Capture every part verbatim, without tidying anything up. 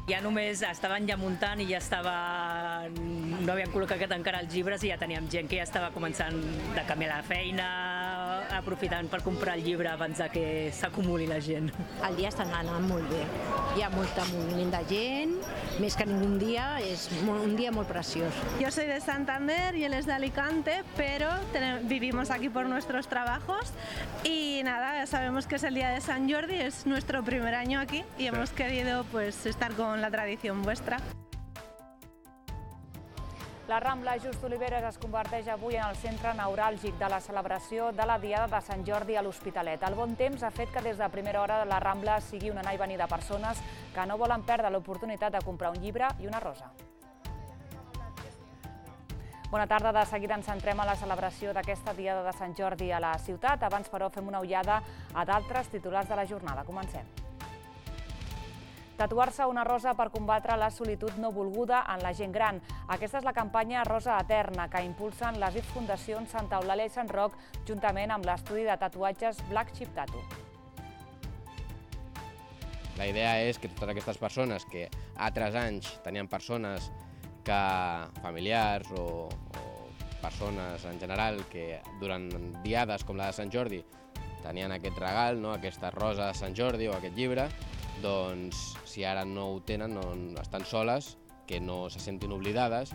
Ja només estaven ja muntant i ja estava... no havien col·locat encara els llibres i ja teníem gent que ja estava començant de canviar la feina, aprofitant per comprar el llibre abans de que s'acumuli la gent. El dia està anant molt bé. Hi ha molt moviment de gent, més que ningún dia, és un dia molt preciós. Yo soy de Santander y él es de Alicante, pero vivimos aquí por nuestros trabajos y nada, sabemos que es el día de Sant Jordi, es nuestro primer año aquí y hemos querido pues estar con la tradición vuestra. La Rambla Just Oliveres es converteix avui en el centre neuràlgic de la celebració de la Diada de Sant Jordi a l'Hospitalet. El bon temps ha fet que des de primera hora la Rambla sigui un anar i venir de persones que no volen perdre l'oportunitat de comprar un llibre i una rosa. Bona tarda, de seguida ens centrem a la celebració d'aquesta Diada de Sant Jordi a la ciutat. Abans, però, fem una ullada a d'altres titulars de la jornada. Comencem. Tatuar-se una rosa per combatre la solitud no volguda en la gent gran. Aquesta és la campanya Rosa Eterna, que impulsen les I F Fundacions Santa Eulàlia i Sant Roc, juntament amb l'estudi de tatuatges Black Chip Tattoo. La idea és que totes aquestes persones que altres anys tenien persones que, familiars o, o persones en general que durant diades com la de Sant Jordi tenien aquest regal, no? Aquesta rosa de Sant Jordi o aquest llibre, doncs si ara no ho tenen, no, estan soles, que no se sentin oblidades.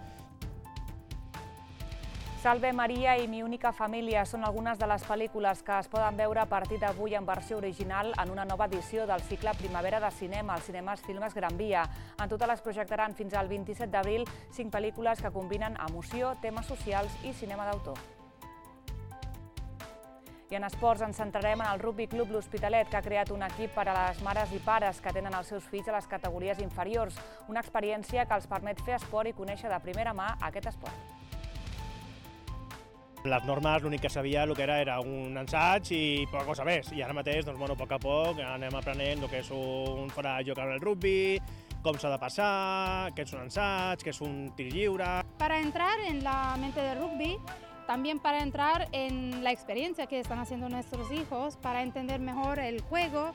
Salve Maria i Mi única família són algunes de les pel·lícules que es poden veure a partir d'avui en versió original en una nova edició del cicle Primavera de Cinema, als cinemes Filmes Gran Via. En total es projectaran fins al vint-i-set d'abril cinc pel·lícules que combinen emoció, temes socials i cinema d'autor. I en esports ens centrarem en el Rugby Club L'Hospitalet, que ha creat un equip per a les mares i pares que tenen els seus fills a les categories inferiors, una experiència que els permet fer esport i conèixer de primera mà aquest esport. Les normes, l'únic que sabia el que era era un ensaig i poca cosa més. I ara mateix, doncs, bueno, a poc a poc anem aprenent el que és un fora de joc al rugby, com s'ha de passar, què és un ensaig, què és un tir lliure. Para entrar en la mente del rugby, también para entrar en la experiencia que están haciendo nuestros hijos, para entender mejor el juego.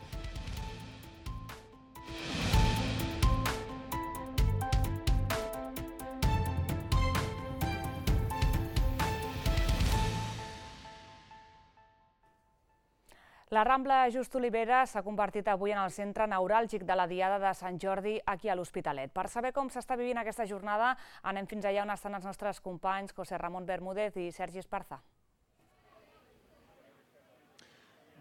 La Rambla Just Oliveres s'ha convertit avui en el centre neuràlgic de la Diada de Sant Jordi aquí a l'Hospitalet. Per saber com s'està vivint aquesta jornada, anem fins allà on estan els nostres companys José Ramón Bermúdez i Sergi Esparza.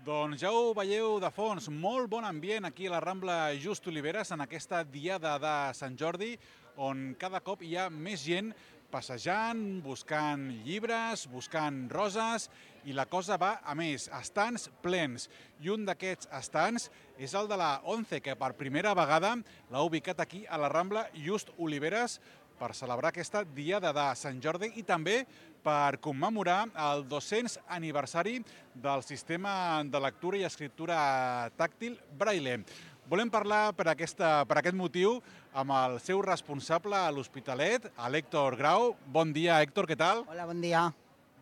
Doncs ja ho veieu de fons, molt bon ambient aquí a la Rambla Just Oliveres en aquesta Diada de Sant Jordi, on cada cop hi ha més gent passejant, buscant llibres, buscant roses, i la cosa va a més, estants plens. I un d'aquests estants és el de la ONCE, que per primera vegada l'ha ubicat aquí a la Rambla Just Oliveres per celebrar aquesta Diada de Sant Jordi i també per commemorar el dos-cents aniversari del sistema de lectura i escriptura tàctil Braille. Volem parlar per, aquesta, per aquest motiu amb el seu responsable a l'Hospitalet, l'Héctor Grau. Bon dia, Héctor, què tal? Hola, bon dia.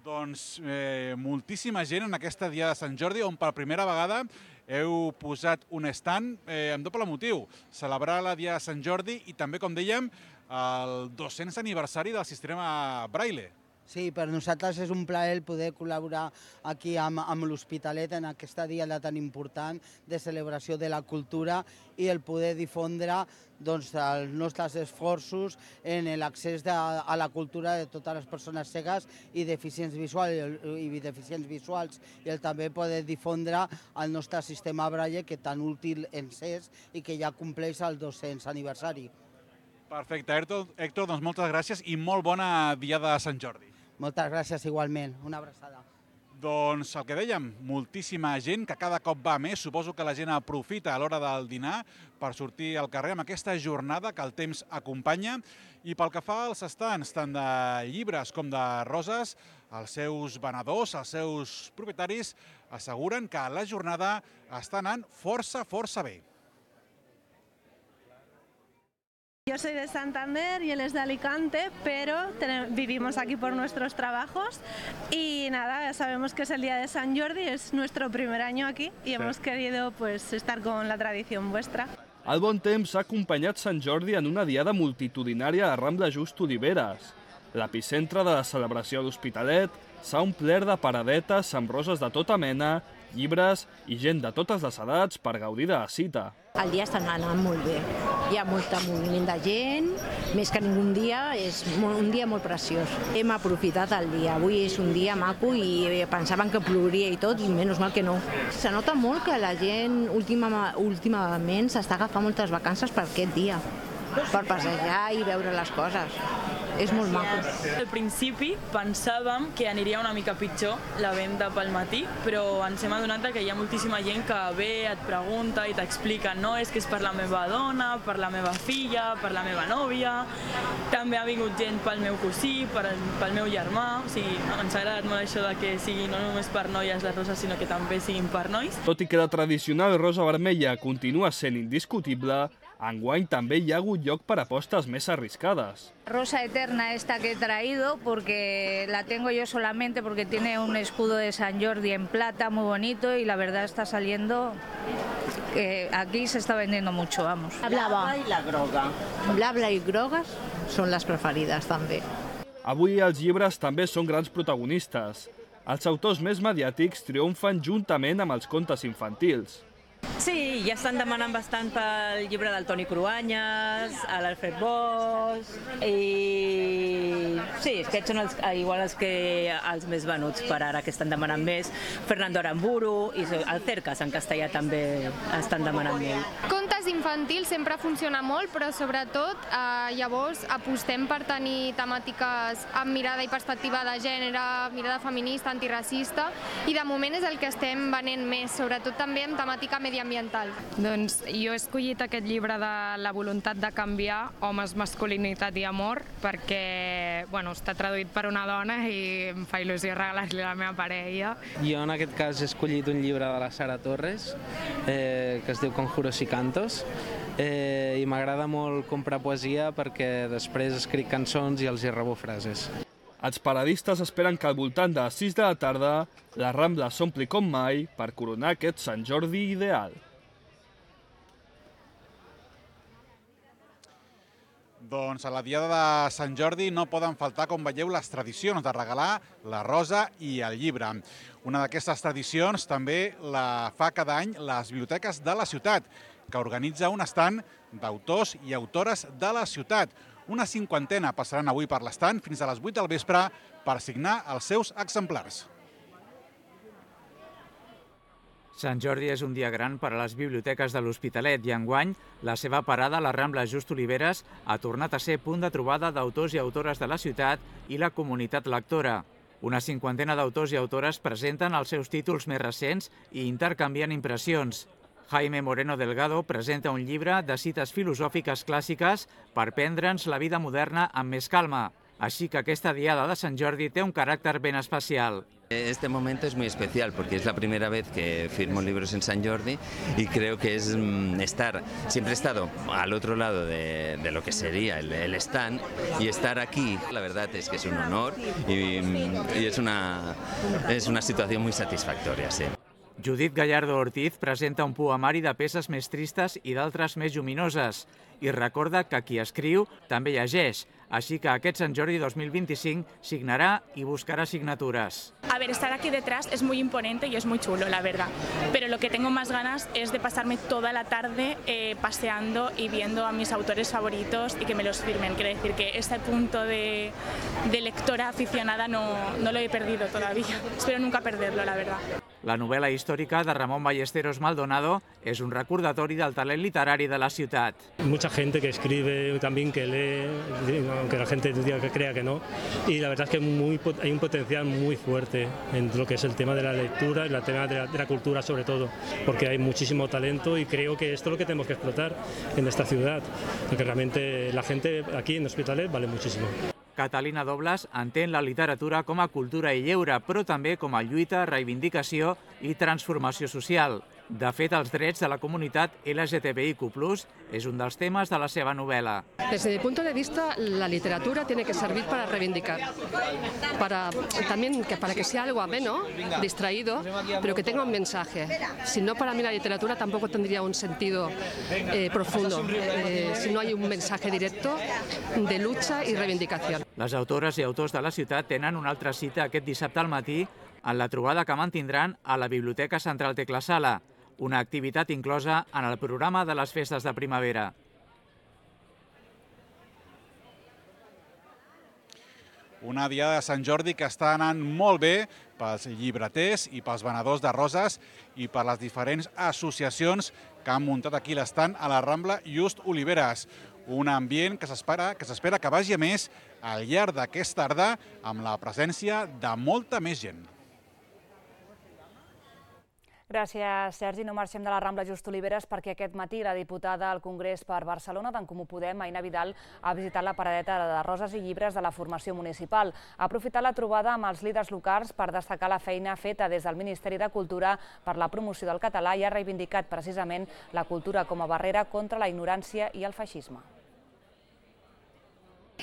Doncs eh, moltíssima gent en aquesta Diada de Sant Jordi, on per primera vegada heu posat un stand eh, amb doble motiu. Celebrar la Diada de Sant Jordi i també, com dèiem, el dos-cents aniversari del sistema Braille. Sí, per nosaltres és un plaer poder col·laborar aquí amb, amb l'Hospitalet en aquesta diada tan important de celebració de la cultura i el poder difondre doncs, els nostres esforços en l'accés a la cultura de totes les persones cegues i deficients visuals, i deficients visuals i el també poder difondre el nostre sistema Braille que tan útil ens és i que ja compleix el dos-cents aniversari. Perfecte, Héctor, doncs moltes gràcies i molt bona Diada de Sant Jordi. Moltes gràcies igualment, una abraçada. Doncs el que dèiem, moltíssima gent que cada cop va més, suposo que la gent aprofita a l'hora del dinar per sortir al carrer amb aquesta jornada que el temps acompanya. I pel que fa als estants, tant de llibres com de roses, els seus venedors, els seus propietaris asseguren que la jornada està anant força, força bé. Yo soy de Santander y él es de Alicante, pero vivimos aquí por nuestros trabajos y nada, sabemos que es el día de Sant Jordi, es nuestro primer año aquí y hemos querido pues estar con la tradición vuestra. El bon temps ha acompanyat Sant Jordi en una diada multitudinària a Rambla Just Oliveres. L'epicentre de la celebració a l'Hospitalet s'ha omplert de paradetes amb roses de tota mena, llibres i gent de totes les edats per gaudir de la cita. El dia està anant molt bé. Hi ha molt moviment de gent, més que ningú dia, és un dia molt preciós. Hem aprofitat el dia. Avui és un dia maco i pensaven que plouria i tot, i menys mal que no. Se nota molt que la gent última, últimament s'està agafant moltes vacances per aquest dia, per passejar i veure les coses. És molt maco. Al principi pensàvem que aniria una mica pitjor la venda pel matí, però ens hem adonat que hi ha moltíssima gent que ve, et pregunta i t'explica, no, és que és per la meva dona, per la meva filla, per la meva nòvia, també ha vingut gent pel meu cosí, pel, pel meu germà, o sigui, ens ha agradat molt això de que sigui no només per noies les roses, sinó que també siguin per nois. Tot i que la tradicional rosa vermella continua sent indiscutible, enguany també hi ha hagut lloc per apostes més arriscades. Rosa eterna esta que he traído porque la tengo yo solamente porque tiene un escudo de San Jordi en plata muy bonito y la verdad está saliendo, que aquí se está vendiendo mucho, vamos. La blava i la groga. Blava i grogues són les preferides també. Avui els llibres també són grans protagonistes. Els autors més mediàtics triomfen juntament amb els contes infantils. Sí, ja estan demanant bastant pel llibre del Toni Cruanyes, a l'Alfred Bosch, i sí, aquests són els, igual els, que, els més venuts per ara, que estan demanant més. Fernando Aramburu i el Cercas en castellà també estan demanant molt. Contes infantils sempre funciona molt, però sobretot eh, llavors apostem per tenir temàtiques amb mirada i perspectiva de gènere, mirada feminista, antiracista, i de moment és el que estem venent més, sobretot també amb temàtica mediambiental. Doncs jo he escollit aquest llibre de La voluntat de canviar, homes, masculinitat i amor, perquè bueno, està traduït per una dona i em fa il·lusió regalar-li a la meva parella. Jo en aquest cas he escollit un llibre de la Sara Torres, eh, que es diu Conjuros y Cantos, eh, i m'agrada molt comprar poesia perquè després escric cançons i els hi rebo frases. Els paradistes esperen que al voltant de les sis de la tarda la Rambla s'ompli com mai per coronar aquest Sant Jordi ideal. Doncs a la diada de Sant Jordi no poden faltar, com veieu, les tradicions de regalar la rosa i el llibre. Una d'aquestes tradicions també la fa cada any les biblioteques de la ciutat, que organitza un estand d'autors i autores de la ciutat. Una cinquantena passaran avui per l'estand fins a les vuit del vespre per signar els seus exemplars. Sant Jordi és un dia gran per a les biblioteques de l'Hospitalet i enguany la seva parada a la Rambla Just Oliveres ha tornat a ser punt de trobada d'autors i autores de la ciutat i la comunitat lectora. Una cinquantena d'autors i autores presenten els seus títols més recents i intercanvien impressions. Jaime Moreno Delgado presenta un llibre de cites filosòfiques clàssiques per prendre'ns la vida moderna amb més calma. Així que aquesta diada de Sant Jordi té un caràcter ben especial. Este momento es muy especial porque es la primera vez que firmo libros en San Jordi y creo que es estar, siempre he estado al otro lado de, de lo que sería el, el stand y estar aquí, la verdad es que es un honor y, y es, una, es una situación muy satisfactoria, sí. Judit Gallardo Ortiz presenta un poemari de peces més tristes i d'altres més lluminoses i recorda que qui escriu també llegeix, així que aquest Sant Jordi dos mil veinticinc signarà i buscarà signatures. A ver, estar aquí detrás es muy imponente y es muy chulo, la verdad. Pero lo que tengo más ganas es de pasarme toda la tarde eh, paseando y viendo a mis autores favoritos y que me los firmen. Quiero decir que este punto de, de lectora aficionada no, no lo he perdido todavía. Espero nunca perderlo, la verdad. La novel·la històrica de Ramon Ballesteros Maldonado és un recordatori del talent literari de la ciutat. Mucha gente que escribe, también que lee, aunque la gente diga que crea que no, y la verdad es que muy, hay un potencial muy fuerte en lo que es el tema de la lectura y el tema de la, de la cultura sobre todo, porque hay muchísimo talento y creo que esto es lo que tenemos que explotar en esta ciudad, porque realmente la gente aquí en Hospitalet vale muchísimo. Catalina Dobles entén la literatura com a cultura i lleure, però també com a lluita, reivindicació i transformació social. De fet, els drets de la comunitat L G T B I Q plus és un dels temes de la seva novel·la. Desde mi punto de vista, la literatura tiene que servir para reivindicar, para también que para que sea algo ameno, distraído, pero que tenga un mensaje. Si no, para mí la literatura tampoco tendría un sentido eh, profundo, eh, si no hay un mensaje directo de lucha y reivindicación. Les autores i autors de la ciutat tenen una altra cita aquest dissabte al matí en la trobada que mantindran a la Biblioteca Central Tecla Sala, una activitat inclosa en el programa de les festes de primavera. Una diada de Sant Jordi que està anant molt bé pels llibreters i pels venedors de roses i per les diferents associacions que han muntat aquí l'estant a la Rambla Just Oliveres. Un ambient que s'espera que s'espera que vagi a més al llarg d'aquesta tarda amb la presència de molta més gent. Gràcies, Sergi. No marxem de la Rambla Just Oliveres perquè aquest matí la diputada al Congrés per Barcelona d'en Comú Podem, Aina Vidal, ha visitat la paradeta de roses i llibres de la formació municipal. Ha aprofitat la trobada amb els líders locals per destacar la feina feta des del Ministeri de Cultura per la promoció del català i ha reivindicat precisament la cultura com a barrera contra la ignorància i el feixisme.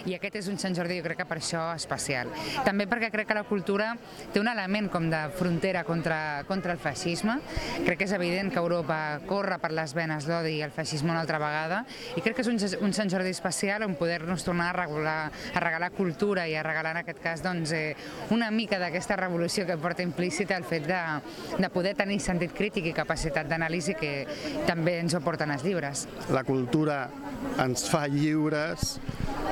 I aquest és un Sant Jordi, jo crec que per això especial. També perquè crec que la cultura té un element com de frontera contra, contra el feixisme. Crec que és evident que Europa corre per les venes l'odi i el feixisme una altra vegada i crec que és un, un Sant Jordi especial on poder-nos tornar a, regular, a regalar cultura i a regalar en aquest cas doncs, eh, una mica d'aquesta revolució que porta implícita el fet de, de poder tenir sentit crític i capacitat d'anàlisi que també ens ho porten els llibres. La cultura ens fa lliures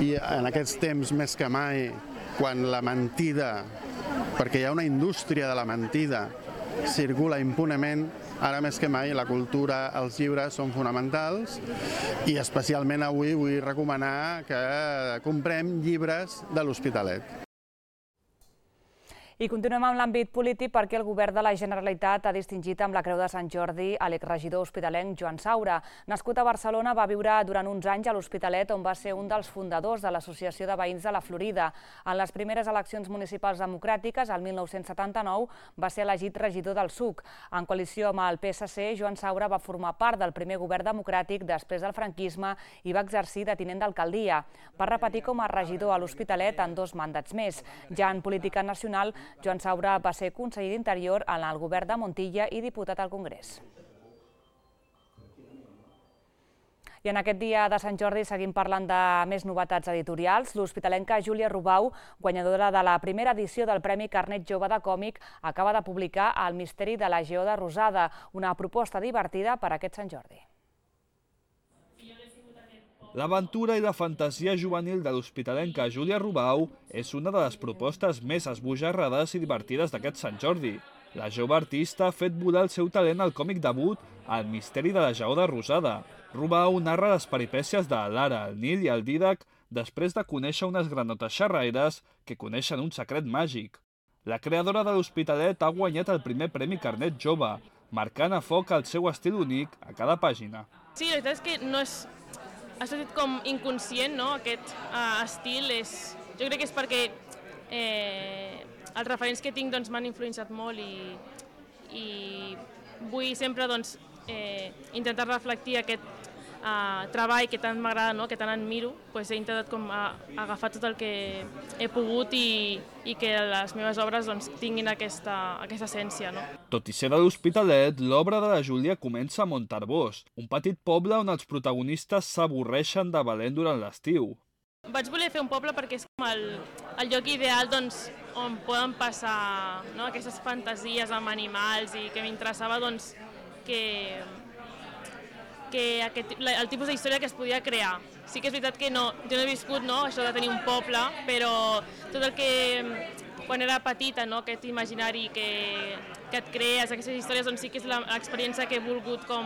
i en aquests temps més que mai, quan la mentida, perquè hi ha una indústria de la mentida, circula impunement, ara més que mai la cultura, els llibres són fonamentals i especialment avui vull recomanar que comprem llibres de l'Hospitalet. I continuem amb l'àmbit polític perquè el govern de la Generalitat ha distingit amb la Creu de Sant Jordi a l'exregidor hospitalenc Joan Saura. Nascut a Barcelona, va viure durant uns anys a l'Hospitalet, on va ser un dels fundadors de l'Associació de Veïns de la Florida. En les primeres eleccions municipals democràtiques, el mil nou-cents setanta-nou, va ser elegit regidor del S U C. En coalició amb el P S C, Joan Saura va formar part del primer govern democràtic després del franquisme i va exercir de tinent d'alcaldia. Va repetir com a regidor a l'Hospitalet en dos mandats més. Ja en política nacional, Joan Saura va ser conseller d'Interior en el govern de Montilla i diputat al Congrés. I en aquest dia de Sant Jordi seguim parlant de més novetats editorials. L'hospitalenca Júlia Rubau, guanyadora de la primera edició del Premi Carnet Jove de Còmic, acaba de publicar El misteri de la Geoda Rosada, una proposta divertida per a aquest Sant Jordi. L'aventura i la fantasia juvenil de l'hospitalenca Júlia Rubau és una de les propostes més esbojarrades i divertides d'aquest Sant Jordi. La jove artista ha fet volar el seu talent al còmic debut El misteri de la Geoda Rosada. Rubau narra les peripècies de Lara, el Nil i el Dídac després de conèixer unes granotes xerraires que coneixen un secret màgic. La creadora de l'Hospitalet ha guanyat el primer Premi Carnet Jove, marcant a foc el seu estil únic a cada pàgina. Sí, la veritat és que no és... ha sortit com inconscient, no? Aquest uh, estil és... Jo crec que és perquè eh, els referents que tinc doncs, m'han influenciat molt i, i vull sempre doncs, eh, intentar reflectir aquest uh, treball que tant m'agrada, no? Que tant admiro. Pues he intentat com, a, agafar tot el que he pogut i, i que les meves obres doncs, tinguin aquesta, aquesta essència. No? Tot i ser de l'Hospitalet, l'obra de la Júlia comença a Montarvós, un petit poble on els protagonistes s'avorreixen de valent durant l'estiu. Vaig voler fer un poble perquè és com el, el lloc ideal doncs, on poden passar, no? Aquestes fantasies amb animals i que m'interessava doncs, que, que aquest, el tipus d'història que es podia crear. Sí que és veritat que no, jo no he viscut no, això de tenir un poble, però tot el que quan era petita, no, aquest imaginari que, que et crees, aquestes històries, doncs sí que és l'experiència que he volgut com,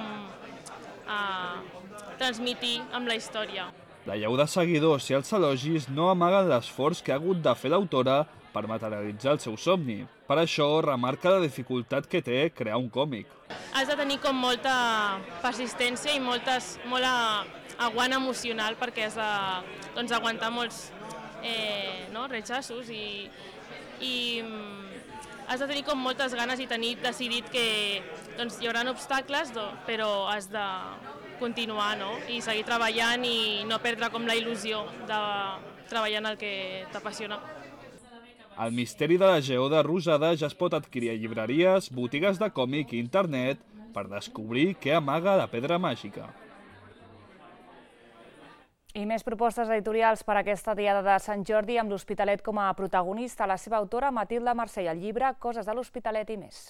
uh, transmitir amb la història. La llau de seguidors i els elogis no amaguen l'esforç que ha hagut de fer l'autora per materialitzar el seu somni. Per això remarca la dificultat que té crear un còmic. Has de tenir com molta persistència i moltes, molt aguant emocional perquè has de doncs, aguantar molts eh, no, rechazos i, i has de tenir com moltes ganes i tenir decidit que doncs, hi haurà obstacles, però has de continuar, no? I seguir treballant i no perdre com la il·lusió de treballar en el que t'apassiona. El misteri de la Lleó de Rosada ja es pot adquirir a llibreries, botigues de còmic i internet per descobrir què amaga la pedra màgica. I més propostes editorials per a aquesta diada de Sant Jordi amb l'Hospitalet com a protagonista. La seva autora, Matilde Mercè, el llibre Coses de l'Hospitalet i més.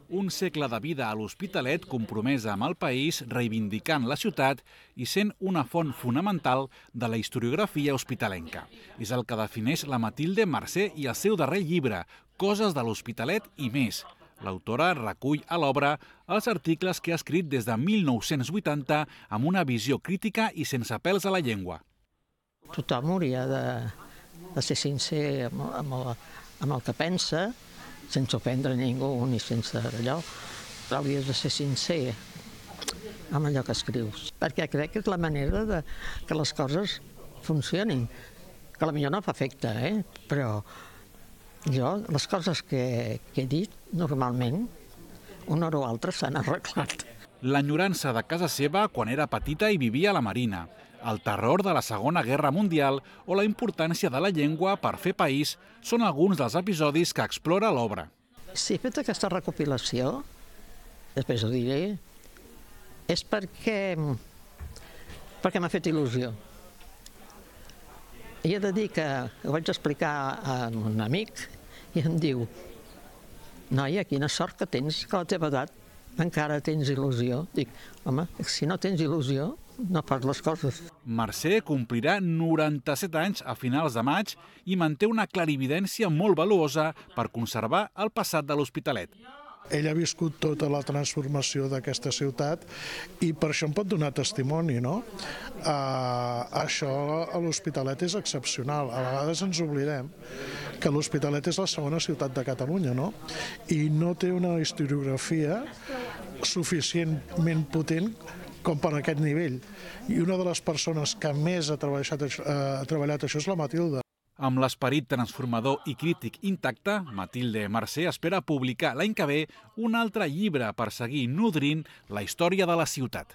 Un segle de vida a l'Hospitalet compromesa amb el país, reivindicant la ciutat i sent una font fonamental de la historiografia hospitalenca. És el que defineix la Matilde Mercè i el seu darrer llibre, Coses de l'Hospitalet i més. L'autora recull a l'obra els articles que ha escrit des de mil nou-cents vuitanta amb una visió crítica i sense pèls a la llengua. Tothom hauria de, de ser sincer amb, amb, el, amb el que pensa, sense ofendre ningú ni sense allò, però hauries de ser sincer amb allò que escrius. Perquè crec que és la manera de que les coses funcionin, que potser no fa efecte, eh? Però jo, les coses que, que he dit, normalment, una o altra s'han arreglat. L'enyorança de casa seva quan era petita i vivia a la Marina, el terror de la Segona Guerra Mundial o la importància de la llengua per fer país són alguns dels episodis que explora l'obra. Si he fet aquesta recopilació, després ho diré, és perquè, perquè m'ha fet il·lusió. I he de dir que ho vaig explicar a un amic i em diu: noia, quina sort que tens, que a la teva edat encara tens il·lusió. Dic, home, si no tens il·lusió, no fas les coses. Mercè complirà noranta-set anys a finals de maig i manté una clarividència molt valuosa per conservar el passat de l'Hospitalet. Ell ha viscut tota la transformació d'aquesta ciutat i per això em pot donar testimoni, no? Uh, això a l'Hospitalet és excepcional. A vegades ens oblidem que l'Hospitalet és la segona ciutat de Catalunya, no? I no té una historiografia suficientment potent com per aquest nivell. I una de les persones que més ha treballat, uh, ha treballat això és la Matilde. Amb l'esperit transformador i crític intacte, Matilde Mercè espera publicar l'any que ve un altre llibre per seguir nodrint la història de la ciutat.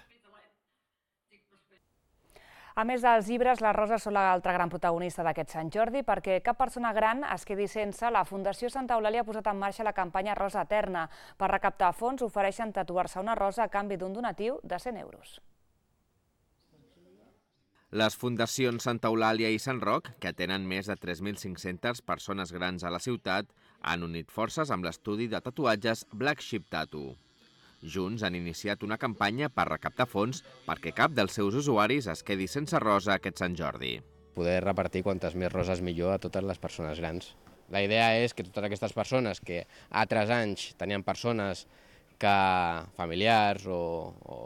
A més dels llibres, les roses són l'altra gran protagonista d'aquest Sant Jordi, perquè cap persona gran es quedi sense. La Fundació Santa Eulàlia ha posat en marxa la campanya Rosa Eterna. Per recaptar fons ofereixen tatuar-se una rosa a canvi d'un donatiu de cent euros. Les fundacions Santa Eulàlia i Sant Roc, que tenen més de tres mil cinc-centes persones grans a la ciutat, han unit forces amb l'estudi de tatuatges Black Sheep Tattoo. Junts han iniciat una campanya per recaptar fons perquè cap dels seus usuaris es quedi sense rosa aquest Sant Jordi. Poder repartir quantes més roses millor a totes les persones grans. La idea és que totes aquestes persones que altres anys tenien persones que familiars o, o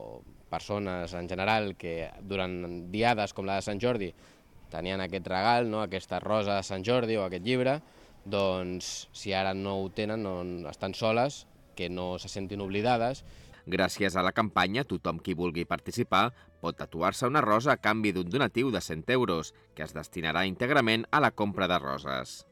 persones en general que durant diades com la de Sant Jordi tenien aquest regal, no? Aquesta rosa de Sant Jordi o aquest llibre, doncs si ara no ho tenen, no, estan soles, que no se sentin oblidades. Gràcies a la campanya, tothom qui vulgui participar pot tatuar-se una rosa a canvi d'un donatiu de cent euros, que es destinarà íntegrament a la compra de roses.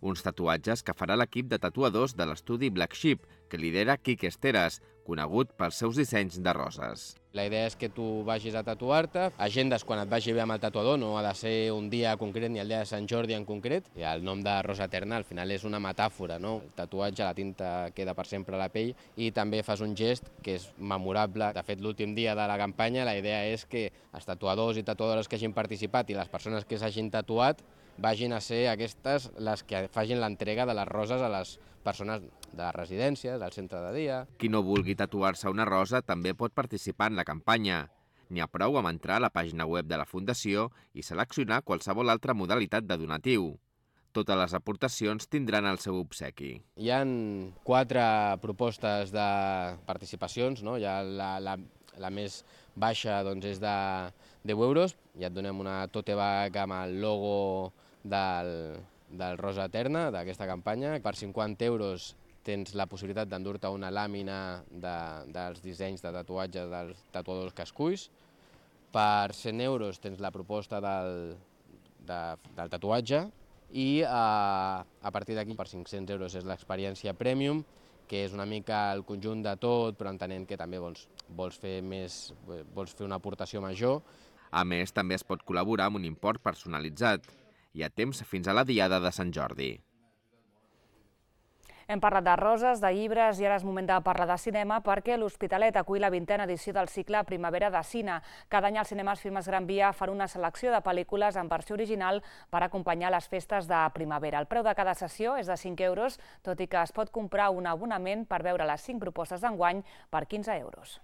Uns tatuatges que farà l'equip de tatuadors de l'estudi Black Sheep, que lidera Quique Esteras, conegut pels seus dissenys de roses. La idea és que tu vagis a tatuar-te, agendes quan et vagi bé amb el tatuador, no ha de ser un dia concret ni el dia de Sant Jordi en concret. I el nom de Rosa Eterna al final és una metàfora, no? El tatuatge, la tinta queda per sempre a la pell i també fas un gest que és memorable. De fet, l'últim dia de la campanya la idea és que els tatuadors i tatuadores que hagin participat i les persones que s'hagin tatuat vagin a ser aquestes les que facin l'entrega de les roses a les persones de les residències, del centre de dia. Qui no vulgui tatuar-se una rosa també pot participar en la campanya. N'hi ha prou amb entrar a la pàgina web de la Fundació i seleccionar qualsevol altra modalitat de donatiu. Totes les aportacions tindran el seu obsequi. Hi ha quatre propostes de participacions, no? Hi ha la, la, la més baixa doncs, és de deu euros, ja et donem una tote bag amb el logo del, del Rosa Eterna, d'aquesta campanya. Per cinquanta euros tens la possibilitat d'endur-te una làmina de, dels dissenys de tatuatge dels tatuadors que esculls. Per cent euros tens la proposta del, de, del tatuatge i a, a partir d'aquí per cinc-cents euros és l'experiència Premium, que és una mica el conjunt de tot, però entenent que també vols, vols, fer, més, vols fer una aportació major. A més, també es pot col·laborar amb un import personalitzat. Hi ha temps fins a la Diada de Sant Jordi. Hem parlat de roses, de llibres i ara és moment de parlar de cinema perquè l'Hospitalet acull la vintena edició del cicle Primavera de Cine. Cada any els cinemes Filmes Gran Via fan una selecció de pel·lícules en versió original per acompanyar les festes de primavera. El preu de cada sessió és de cinc euros, tot i que es pot comprar un abonament per veure les cinc propostes d'enguany per quinze euros.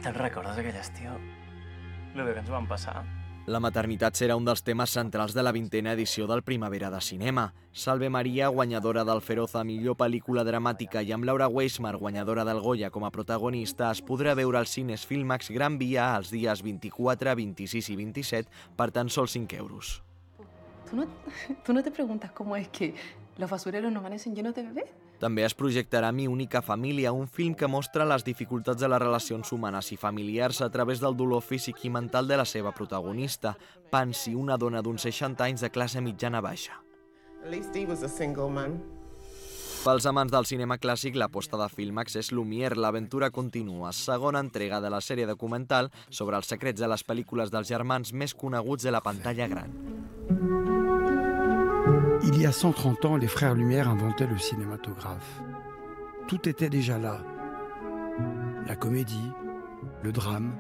Te'n recordes aquell estiu? Lo que ens van passar? La maternitat serà un dels temes centrals de la vintena edició del Primavera de Cinema. Salve Maria, guanyadora del Feroz a millor pel·lícula dramàtica i amb Laura Weismar, guanyadora del Goya com a protagonista, es podrà veure als cines Filmax Gran Via els dies vint-i-quatre, vint-i-sis i vint-i-set per tan sols cinc euros. ¿Tú no, ¿Tú no te preguntas cómo es que los basureros no amanecen llenos de bebés? També es projectarà Mi única família, un film que mostra les dificultats de les relacions humanes i familiars a través del dolor físic i mental de la seva protagonista, Pansy, una dona d'uns seixanta anys de classe mitjana-baixa. At least he was a single man. Pels amants del cinema clàssic, l'aposta de Filmax és Lumière, l'aventura continua, segona entrega de la sèrie documental sobre els secrets de les pel·lícules dels germans més coneguts de la pantalla gran. Il y a cent trente ans, les frères Lumière inventaient le cinématographe. Tout était déjà là. La comédie, le drame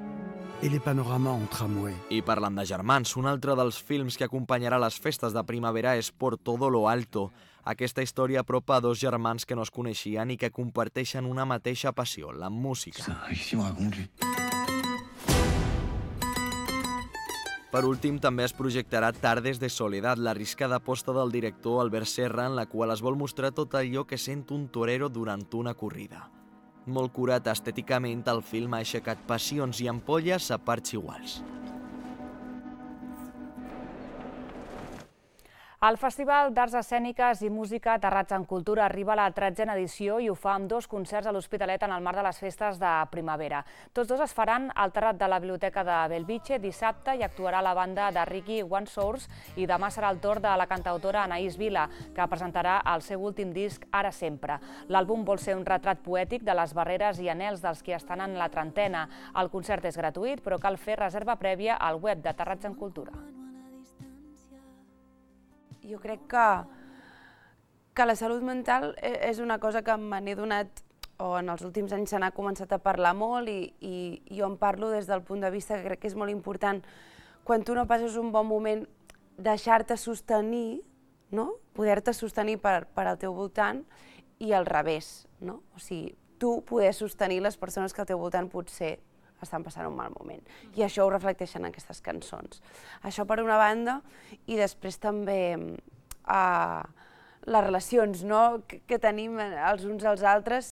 et les panoramas en tramway. I parlant de germans, un altre dels films que acompanyarà les festes de primavera és Por todo lo alto. Aquesta història apropa a dos germans que no es coneixien i que comparteixen una mateixa passió, la música. Per últim, també es projectarà Tardes de soledat, l'arriscada aposta del director Albert Serra, en la qual es vol mostrar tot allò que sent un torero durant una corrida. Molt curat estèticament, el film ha aixecat passions i ampolles a parts iguals. El Festival d'Arts Escèniques i Música Terrats en Cultura arriba a la tretzena edició i ho fa amb dos concerts a l'Hospitalet en el marc de les festes de primavera. Tots dos es faran al terrat de la Biblioteca de Bellvitge dissabte i actuarà la banda de Ricky One Source i demà serà el torn de la cantautora Anaïs Vila, que presentarà el seu últim disc Ara Sempre. L'àlbum vol ser un retrat poètic de les barreres i anhels dels que estan en la trentena. El concert és gratuït, però cal fer reserva prèvia al web de Terrats en Cultura. Jo crec que, que la salut mental és una cosa que me n'he donat, o en els últims anys se n'ha començat a parlar molt i, i jo en parlo des del punt de vista que crec que és molt important, quan tu no passes un bon moment, deixar-te sostenir, no? Poder-te sostenir per, per al teu voltant i al revés, no? O sigui, tu poder sostenir les persones que al teu voltant potser estan passant un mal moment. I això ho reflecteixen aquestes cançons. Això per una banda, i després també eh, les relacions, no?, que, que tenim els uns als altres.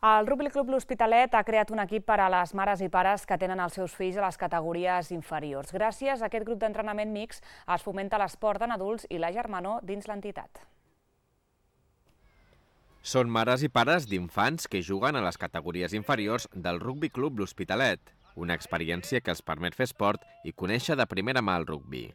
El Rugby Club L'Hospitalet ha creat un equip per a les mares i pares que tenen els seus fills a les categories inferiors. Gràcies a aquest grup d'entrenament mixt es fomenta l'esport en adults i la germanor dins l'entitat. Són mares i pares d'infants que juguen a les categories inferiors del Rugby Club L'Hospitalet, una experiència que els permet fer esport i conèixer de primera mà el rugbi.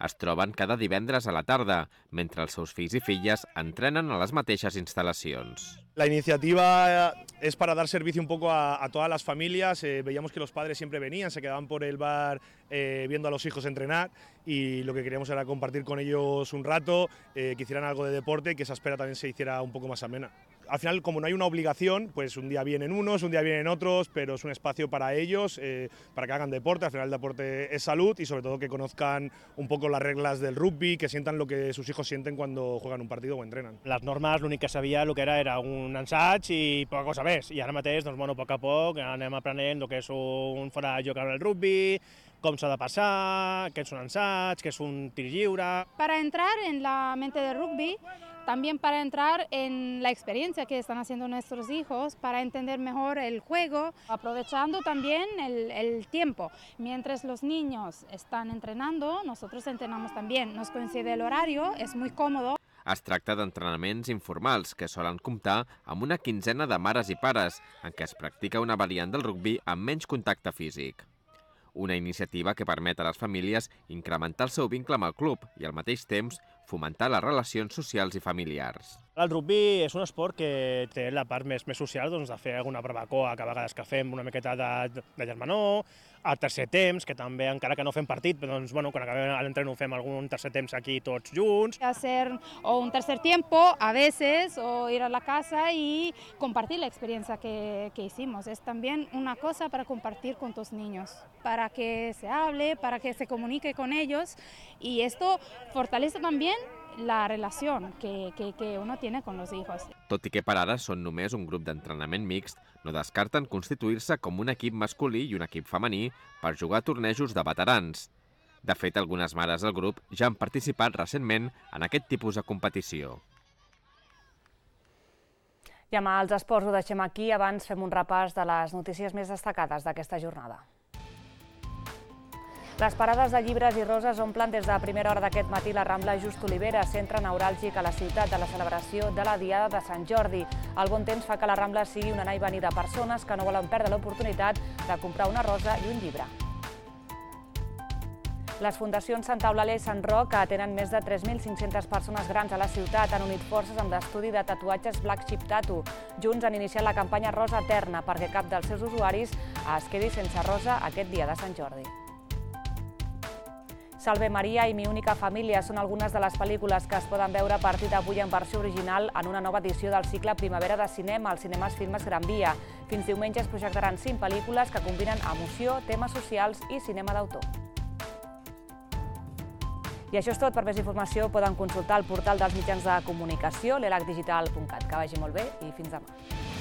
Es troben cada divendres a la tarda, mentre els seus fills i filles entrenen a les mateixes instal·lacions. La iniciativa es para dar servicio un poco a, a todas las familias. Eh, veíamos que los padres siempre venían, se quedaban por el bar eh, viendo a los hijos entrenar y lo que queríamos era compartir con ellos un rato, eh, que hicieran algo de deporte y que esa espera también se hiciera un poco más amena. Al final, como no hay una obligación, pues un día vienen unos, un día vienen otros, pero es un espacio para ellos, eh, para que hagan deporte. Al final el deporte es salud y sobre todo que conozcan un poco las reglas del rugby, que sientan lo que sus hijos sienten cuando juegan un partido o entrenan. Les normes, l'únic que sabia el que era era un ensaig i poca cosa més. I ara mateix, doncs, bueno, a poc a poc anem aprenent el que és un fora de joc en el rugby, com s'ha de passar, què és un ensaig, què és un tir lliure. Para entrar en la mente del rugby, también para entrar en la experiencia que están haciendo nuestros hijos, para entender mejor el juego, aprovechando también el, el tiempo. Mientras los niños están entrenando, nosotros entrenamos también. Nos coincide el horario, es muy cómodo. Es tracta d'entrenaments informals que solen comptar amb una quinzena de mares i pares, en què es practica una variant del rugbi amb menys contacte físic. Una iniciativa que permet a les famílies incrementar el seu vincle amb el club i, al mateix temps, fomentar les relacions socials i familiars. El rugby és un esport que té la part més, més social, doncs, de fer alguna barbacoa, que a vegades que fem una miqueta de, de germanor, al tercer temps, que també, encara que no fem partit, doncs, bueno, quan acabem l'entreno fem algun tercer temps aquí tots junts. Hacer o un tercer tiempo, a veces, o ir a la casa y compartir la experiencia que, que hicimos. Es también una cosa para compartir con tus niños, para que se hable, para que se comunique con ellos, y esto fortalece también la relación que, que, que uno tiene con los hijos. Tot i que per ara són només un grup d'entrenament mixt, no descarten constituir-se com un equip masculí i un equip femení per jugar a tornejos de veterans. De fet, algunes mares del grup ja han participat recentment en aquest tipus de competició. I amb els esports ho deixem aquí, abans fem un repàs de les notícies més destacades d'aquesta jornada. Les parades de llibres i roses omplen des de primera hora d'aquest matí la Rambla Just Olivera, centre neuràlgic a la ciutat de la celebració de la Diada de Sant Jordi. El bon temps fa que la Rambla sigui una anar i venir de persones que no volen perdre l'oportunitat de comprar una rosa i un llibre. Les fundacions Sant Eulàlia i Sant Roc, que atenen més de tres mil cinc-centes persones grans a la ciutat, han unit forces amb l'estudi de tatuatges Black Chip Tattoo. Junts han iniciat la campanya Rosa Eterna perquè cap dels seus usuaris es quedi sense rosa aquest dia de Sant Jordi. Salve Maria i Mi única família són algunes de les pel·lícules que es poden veure a partir d'avui en versió original en una nova edició del cicle Primavera de Cinema als cinemes Filmes Gran Via. Fins diumenge es projectaran cinc pel·lícules que combinen emoció, temes socials i cinema d'autor. I això és tot. Per més informació poden consultar el portal dels mitjans de comunicació, l'elac digital punt cat. Que vagi molt bé i fins demà.